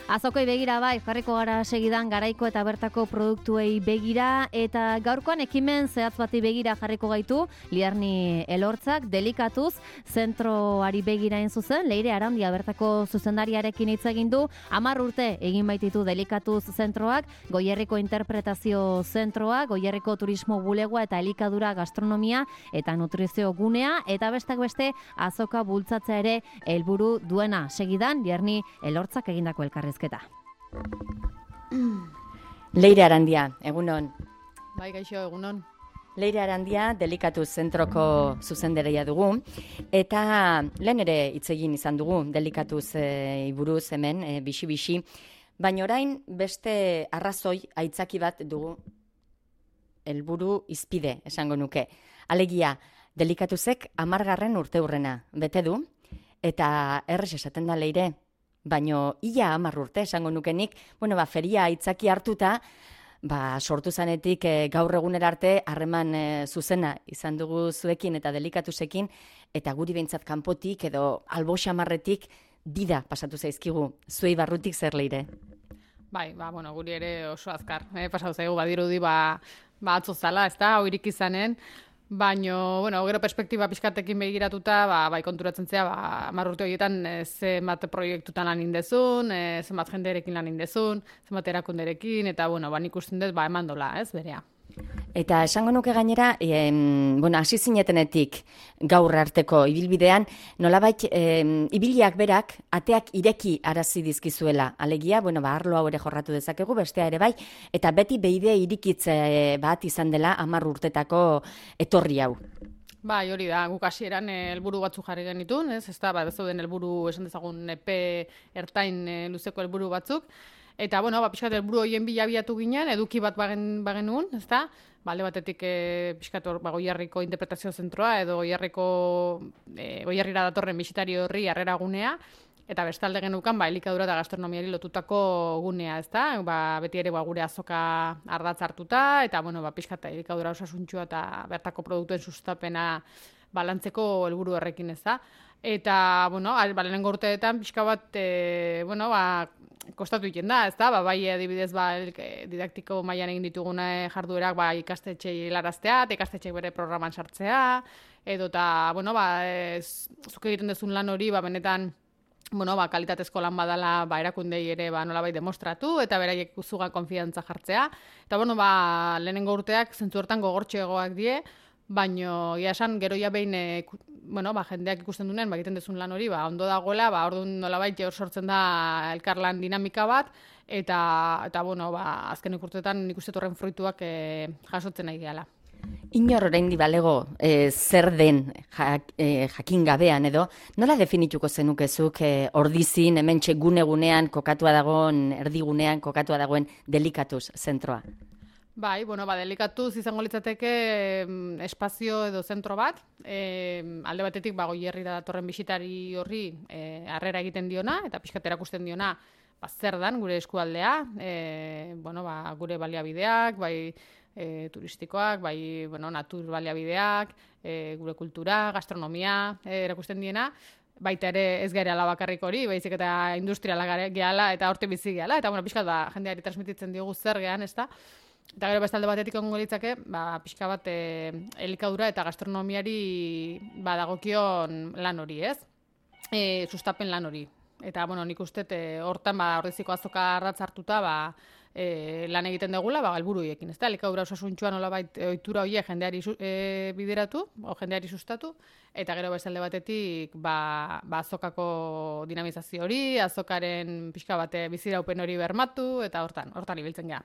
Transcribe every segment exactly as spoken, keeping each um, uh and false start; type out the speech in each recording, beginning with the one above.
Azokoi begira bai, jarriko gara segidan garaiko eta bertako produktuei begira, eta gaurkoan ekimen zehatz bati begira jarriko gaitu, Liarni Elortzak, delikatuz, zentroari begira in zuzen, Leire Arandia bertako zuzendariarekin hitz egin du, hamar urte egin baititu delikatuz zentroak, Goierriko interpretazio zentroa, Goierriko turismo bulegoa eta elikadura gastronomia eta nutrizio gunea, eta bestak beste azoka bultzatzea ere helburu duena. Segidan, Liarni Elortzak egindako elkarrez. Leire Arandia, egunon. Bai, gaixo, egunon. Leire Arandia, delikatuz zentroko zuzendaria dugu, eta lehen ere hitz egin izan dugu delikatuz e, buruz hemen, e, bixi-bixi, baina orain beste arrazoi aitzaki bat dugu helburu izpide, esango nuke. Alegia, delikatuzek hamargarren urteurrena bete du, eta errez esaten da Leire, baino ia hamar urte esango nukenik, bueno, ba, feria aitzaki hartuta, ba, sortu zanetik e, gaur egunera arte harreman e, zuzena izan dugu zuekin eta delikatusekin, eta guri behintzat kanpotik edo albo xamarretik dida pasatu zaizkigu, zuei barrutik zer Leire? Bai, ba, bueno, guri ere oso azkar, eh, pasatu zaigu, badirudi, ba, ba atzo zala, ez da, hoirik izanen, baino, bueno, gero perspektiba pixkatekin begiratuta, ba, bai konturatzen zea, ba, hamar urte horietan e, zenbat proiektutan lan indezun, e, zenbat jenderekin lan indezun, zenbat erakunderekin, eta, bueno, ba, nik usten dut, ba, eman dola, ez, berea. Eta esango nuke gainera, em, bueno, hasi zinetenetik gaur arteko ibilbidean, nolabait em, ibiliak berak ateak ireki arazi dizkizuela. Alegia, bueno, ba, arlo hau ere jorratu dezakegu, bestea ere bai, eta beti beide irikitze bat izan dela hamar urtetako etorri hau. Bai, hori da, guk hasieran helburu batzuk jarri genitun, ez, ez da, ba, zeuden helburu esan dezagun epe ertain e, luzeko helburu batzuk, eta, bueno, ba, pixkat helburu horien bila abiatu ginen, eduki bat bagen, bagenuen, ez da, ba, alde batetik e, pixkat hor, ba, Goierriko interpretazio zentroa, edo Goierriko, e, Goierrira datorren bisitari horri harrera gunea, eta bestalde genukan, ba, elikadura eta gastronomiari lotutako gunea, ez da, ba, beti ere ba, gure azoka ardatz hartuta, eta, bueno, ba, pixkat elikadura osasuntxua eta bertako produktuen sustapena balantzeko helburu horrekin, ez da. Eta, bueno, ba, lehenengo urteetan pixka bat, e, bueno, ba, kostatu egiten da, ez da, ba, bai adibidez, ba, didaktiko mailan egin dituguna jarduerak, ba, ikastetxei helaraztea, eta ikastetxei bere programan sartzea, edo eta, bueno, ba, ez, zuk egiten duzun lan hori, ba, benetan, bueno, ba, kalitatezko lan badala, ba, erakundei ere, ba, nolabait demostratu, eta beraiek zugan konfidantza jartzea. Eta, bueno, ba, lehenengo urteak zentzu hortan gogortxeagoak die, baino, ia esan, gero ja behin, e, bueno, ba, jendeak ikusten duen, ba, egiten duzun lan hori, ba, ondo dagoela, ba, orduan nolabait hor sortzen da elkarlan dinamika bat, eta, eta bueno, ba, azken urteetan nik uste horren fruituak e, jasotzen nahi gehala. Inor orain balego e, zer den jak, e, jakin gabean edo, nola definituko zenukezuk e, ordizin, hementxe gune-gunean kokatua dagoen, erdigunean kokatua dagoen delikatuz zentroa? Bai, bueno, ba, delikatuz izango litzateke em, espazio edo zentro bat, e, alde batetik ba, Goierrira datorren bisitari horri e, harrera egiten diona, eta pixkat erakusten diona ba, zer dan gure eskualdea, e, bueno, ba, gure baliabideak, bai e, turistikoak, bai bueno, natur baliabideak, e, gure kultura, gastronomia e, erakusten diena, baita ere ez gareala bakarrik hori, baizik eta industriala gehala eta horte bizi gehala, eta bueno, pixkat ba, jendeari transmititzen diogu zer gehan, ez da? Eta gero bestalde batetik ongo litzake, ba, pixka bat e, elikadura eta gastronomiari ba, dagokion lan hori, ez? E, sustapen lan hori. Eta, bueno, nik uste hortan, ba, ordeziko azoka ardatz hartuta, ba, e, lan egiten degula, ba, helburu hiekin, ez da? Elikadura osasuntxua nolabait ohitura horiek jendeari e, bideratu, o jendeari sustatu, eta gero bestalde batetik, ba, ba azokako dinamizazio hori, azokaren pixka bate biziraupen hori bermatu, eta hortan, hortan ibiltzen gara.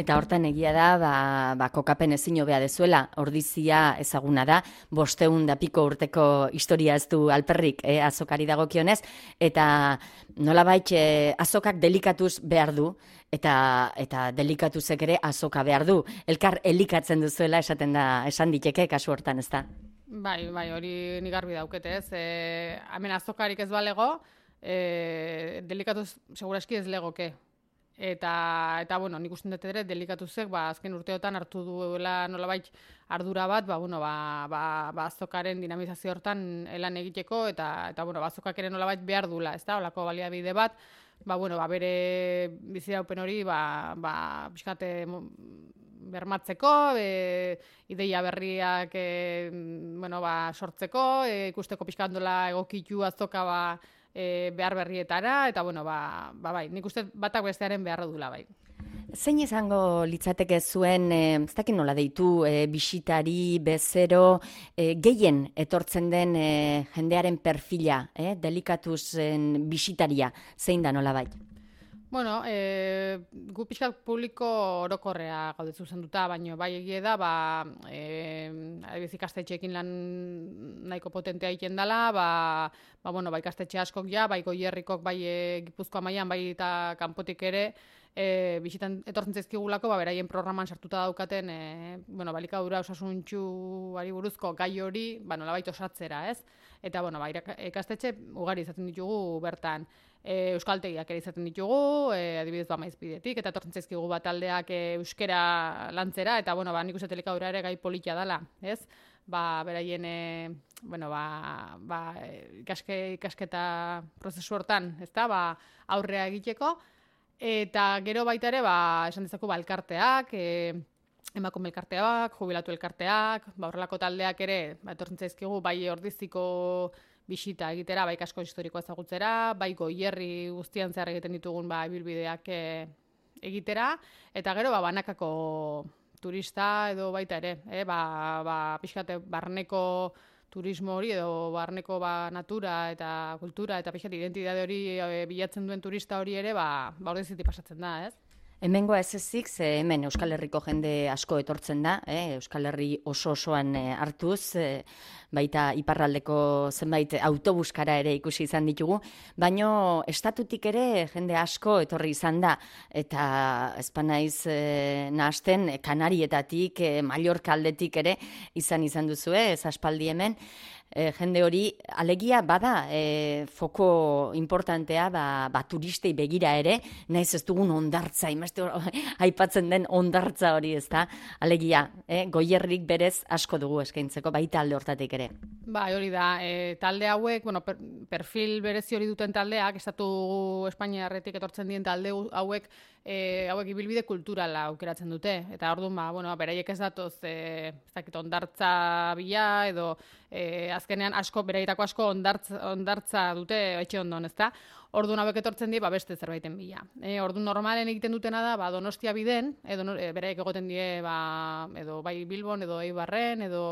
Eta hortan egia da, ba, ba, kokapen ezin hobea dezuela, ordizia ezaguna da, bosteun da piko urteko historia ez du alperrik eh, azokari dagokionez, eta nolabait eh, azokak delikatuz behar du, eta, eta delikatuzek ere azoka behar du. Elkar elikatzen duzuela esaten da, esan diteke kasu hortan, ez da? Bai, bai, hori nik garbi daukete, ez. E, hemen azokarik ez balego, e, delikatuz seguraski ez legoke. Eta, eta bueno, nik usten dut ere, delikatuzek, ba, azken urteotan hartu duela nolabait ardura bat, ba, bueno, ba, ba, ba azokaren dinamizazio hortan lan egiteko, eta, eta bueno, ba, azokak ere nolabait behar dula, ez da, olako baliabide bat, ba, bueno, ba, bere biziraupen hori, ba, ba, pixkate bermatzeko, e, ideia berriak e, bueno, ba, sortzeko, e, ikusteko pixkandola egokitu azoka ba, e, behar berrietara, eta bueno, ba, ba, bai, nik uste batak bestearen beharra dula bai. Zein izango litzateke zuen, e, ez dakit nola deitu, e, bisitari, bezero, e, gehien etortzen den e, jendearen perfila, e, delikatuzen bisitaria, zein da nola bai? Bueno, e, gu pixkat publiko orokorrea gaude zuzenduta, baina bai egie da, ba, e, adibidez ikastetxeekin lan nahiko potentea egiten dela, ba, ba, bueno, ba, ikastetxe askok ja, bai Goierrikok, bai e, Gipuzkoa mailan, bai eta kanpotik ere, e, bisitan etortzen zaizkigulako, ba, beraien programan sartuta daukaten, e, bueno, balikadura osasuntsuari buruzko gai hori, ba, nolabait osatzera, ez? Eta, bueno, ba, ikastetxe ugari izaten ditugu bertan. E, euskaltegiak ere izaten ditugu, e, adibidez ba Maizpidetik, eta etortzen zaizkigu bat taldeak e, euskera lantzera, eta bueno, ba, nik uste elikadura ere gai politia dela, ez? Ba, beraien, e, bueno, ba, ba, ikaske, ikasketa prozesu hortan, ez da, ba, aurrea egiteko, eta gero baita ere, ba, esan dezako, ba, elkarteak, e, emakume elkarteak, jubilatu elkarteak, ba, horrelako taldeak ere, ba, etortzen zaizkigu, bai Ordiziko bisita egitera, bai kasko historikoa ezagutzera, bai Goierri guztian zehar egiten ditugun ba, ibilbideak e, egitera, eta gero ba, banakako turista edo baita ere, e, ba, ba, pixkate barneko turismo hori edo barneko ba, natura eta kultura eta pixkate identitate hori e, bilatzen duen turista hori ere, ba, ba Ordizitik pasatzen da, ez? Hemengoa ez ezik, ze hemen Euskal Herriko jende asko etortzen da, eh? Euskal Herri oso osoan eh, hartuz, eh, baita iparraldeko zenbait autobuskara ere ikusi izan ditugu, baino estatutik ere jende asko etorri izan da, eta ezpanaiz eh, nahasten Kanarietatik, eh, Mallorca aldetik ere izan izan duzue, ez aspaldi hemen, E, jende hori, alegia bada e, foko importantea ba, ba turistei begira ere, naiz ez dugun ondartza, imazte aipatzen den ondartza hori, ez da, alegia, e, Goierrik berez asko dugu eskaintzeko, baita alde hortatik ere. Ba, hori da, e, talde hauek, bueno, per, perfil berezi hori duten taldeak, estatu Espainiarretik etortzen dien talde hauek, e, hauek ibilbide kulturala aukeratzen dute, eta orduan, ba, bueno, beraiek ez datoz, e, ez dakit ondartza bila, edo e, azkenean asko, beraietako asko ondartza, ondartza dute etxe ondon, ezta? Orduan hauek etortzen die, ba, beste zerbaiten bila. E, orduan normalen egiten dutena da, ba, Donostia biden, edo e, beraiek egoten die, ba, edo bai Bilbon, edo Eibarren, edo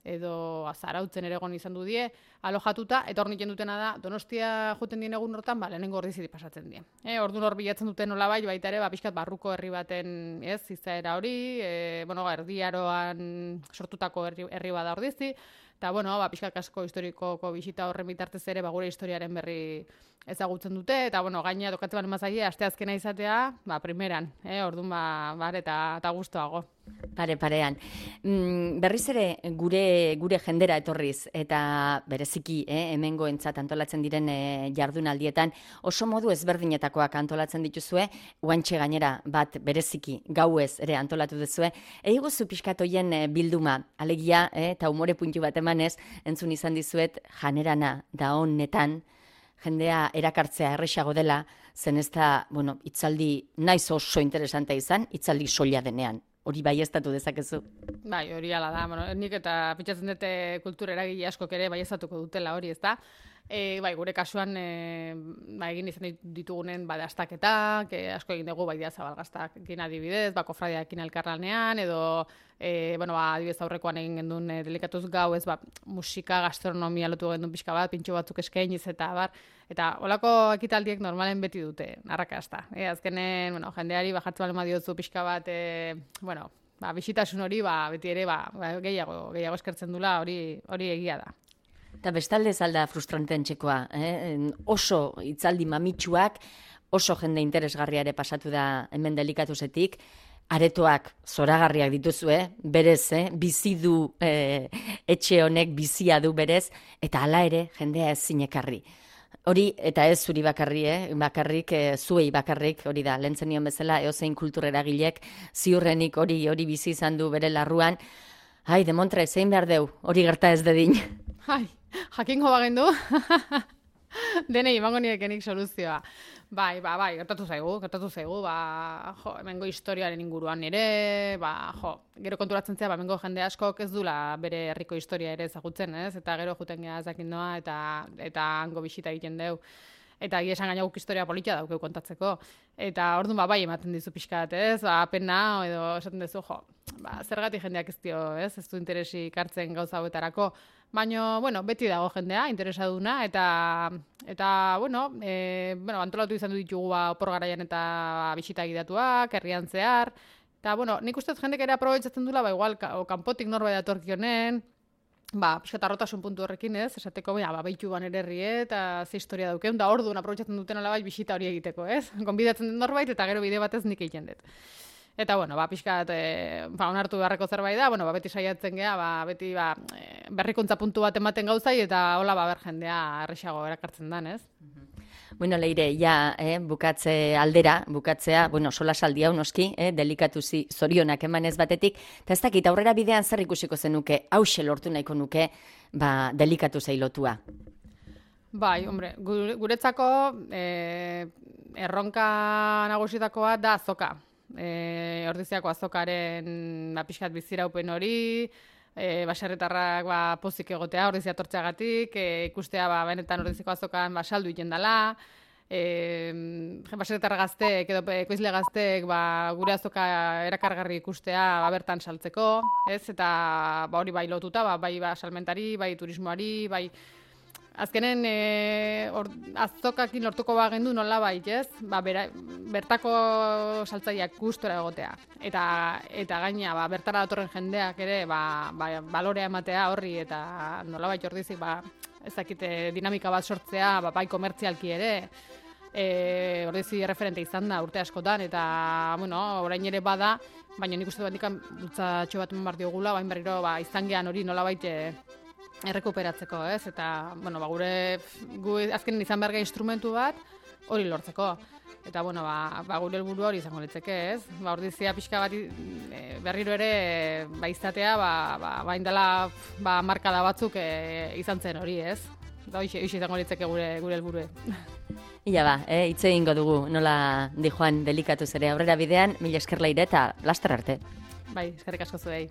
edo Zarautzen ere egon izan du die, alojatuta, eta hor niken dutena da, Donostia joten dien egun hortan, ba, lehenengo Ordizitik pasatzen die. E, orduan hor bilatzen duten nola bai, baita ere, ba, pixkat barruko herri baten, ez, izaera hori, e, bueno, erdiaroan sortutako herri, herri bada Ordizi, eta, bueno, ba, pixkat asko historikoko bisita horren bitartez ere, ba, gure historiaren berri ezagutzen dute, eta, bueno, gaina tokatzen balen mazaie, asteazkena izatea, ba, primeran, eh, orduan, ba, bar, eta, eta guztuago. Pare, parean. Mm, berriz ere gure, gure jendera etorriz, eta bereziki, eh, hemengoentzat antolatzen diren eh, jardunaldietan, oso modu ezberdinetakoak antolatzen dituzue, guantxe gainera bat bereziki gauez ere antolatu duzue, eiguzu pixkatoien eh, bilduma, alegia, eh, eta umore puntu bat emanez, entzun izan dizuet, janerana da honetan, jendea erakartzea erresago dela, zen ez da, bueno, itzaldi naiz oso interesantea izan, itzaldi soila denean. Hori baieztatu dezakezu. Bai, hori ala da. Bueno, nik eta pentsatzen dute kultura eragile askok ere baieztatuko dutela hori, ezta? E, bai, gure kasuan e, ba, egin izan ditugunen ba, dastaketak, e, asko egin dugu baidia zabalgaztak egin adibidez, ba, kofradiakin elkarlanean, edo e, bueno, ba, adibidez aurrekoan egin gendun e, delikatuz gau, ez, ba, musika, gastronomia lotu gendun pixka bat, pintxo batzuk eskainiz eta bar, eta holako ekitaldiek normalen beti dute, arrakasta. E, azkenen, bueno, jendeari bajartzen balen badiozu pixka bat, e, bueno, ba, bisitasun hori, ba, beti ere, ba, gehiago, gehiago eskertzen dula, hori, hori egia da. Eta bestalde zalda frustranteen txekoa, eh? Oso hitzaldi mamitsuak, oso jende interesgarria ere pasatu da hemen delikatuzetik, aretoak zoragarriak dituzue, berez, eh? bizi du eh, etxe honek bizia du berez, eta hala ere jendea ez zinekarri. Hori, eta ez zuri bakarri, eh? bakarrik, eh, zuei bakarrik, hori da, lehen zenion bezala, eozein kultureragilek, ziurrenik hori hori bizi izan du bere larruan, ai, demontre, zein behar deu, hori gerta ez dedin. Ai, jakingo bagendu, denei emango niekenik soluzioa. Bai, ba, bai, gertatu zaigu, gertatu zaigu, ba, jo, hemengo historiaren inguruan ere, ba, jo, gero konturatzen zea, ba, hemengo jende askok ez dula bere herriko historia ere ezagutzen, ez? Eta gero juten geha ezakin noa, eta, eta hango bisita egiten deu. Eta egia esan gaina guk historia politia daukeu kontatzeko. Eta orduan ba, bai ematen dizu pixka bat, ez? Ba, pena, edo esaten duzu, jo, ba, zergatik jendeak ez dio, ez? Ez du interesik hartzen gauza hauetarako. Baina, bueno, beti dago jendea, interesaduna, eta, eta bueno, e, bueno, antolatu izan du ditugu ba, opor garaian eta ba, bisita gidatuak, herrian zehar. Eta, bueno, nik uste jendek ere aprobetsatzen dula, ba, igual, o, kanpotik norbait datorkionen, ba, pixka arrotasun puntu horrekin, ez? Esateko, ba, baitu ban ererri, eta ze historia daukeun, da orduan aprobetsatzen duten alabai bisita hori egiteko, ez? Gonbidatzen den norbait, eta gero bide batez nik egiten dut. Eta, bueno, ba, pixka, e, ba, onartu beharreko zerbait da, bueno, ba, beti saiatzen geha, ba, beti, ba, e, berrikuntza puntu bat ematen gauzai, eta hola, ba, ber jendea erresago erakartzen dan, ez? Bueno, Leire, ja, eh, bukatze aldera, bukatzea, bueno, sola saldi hau noski, eh, delikatuzi zorionak emanez batetik, eta ez dakit, aurrera bidean zer ikusiko zenuke, hause lortu nahiko nuke, ba, delikatu zeilotua. Bai, hombre, guretzako eh, erronka nagusitakoa da azoka. Eh, Ordiziako azokaren ba, pixkat biziraupen hori, E, baserritarrak ba, pozik egotea ordizia tortzeagatik, e, ikustea ba, benetan ordiziko azokan ba, saldu iten dela, e, baserritar gazteek edo ekoizle gazteek ba, gure azoka erakargarri ikustea ba, bertan saltzeko, ez? Eta ba, hori bai lotuta, ba, bai ba, salmentari, bai turismoari, bai azkenen e, or, azokakin lortuko bagendu nola bait, ez? Ba, bera, bertako saltzaileak gustora egotea. Eta, eta gaina, ba, bertara datorren jendeak ere, ba, ba, balorea ematea horri, eta nola bait ordizik, ba, ez dakite dinamika bat sortzea, ba, bai komertzialki ere, e, ordizi referente izan da urte askotan, eta, bueno, orain ere bada, baina nik uste bat nikan bultzatxo bat eman diogula, bain berriro, ba, izan gehan hori nola bait, errekuperatzeko, ez? Eta, bueno, ba, gure, gu azken izan berga instrumentu bat, hori lortzeko. Eta, bueno, ba, ba gure helburu hori izango litzeke, ez? Ba, ordizia pixka bat e, berriro ere, ba, izatea, ba, ba, ba indela, ba, markada batzuk e, izan zen hori, ez? Eta hoxe izango litzeke gure, gure helburue. Ia ba, eh, hitz egingo dugu, nola di joan delikatuz ere aurrera bidean, mila esker Leire eta laster arte. Bai, eskerrik asko zuei.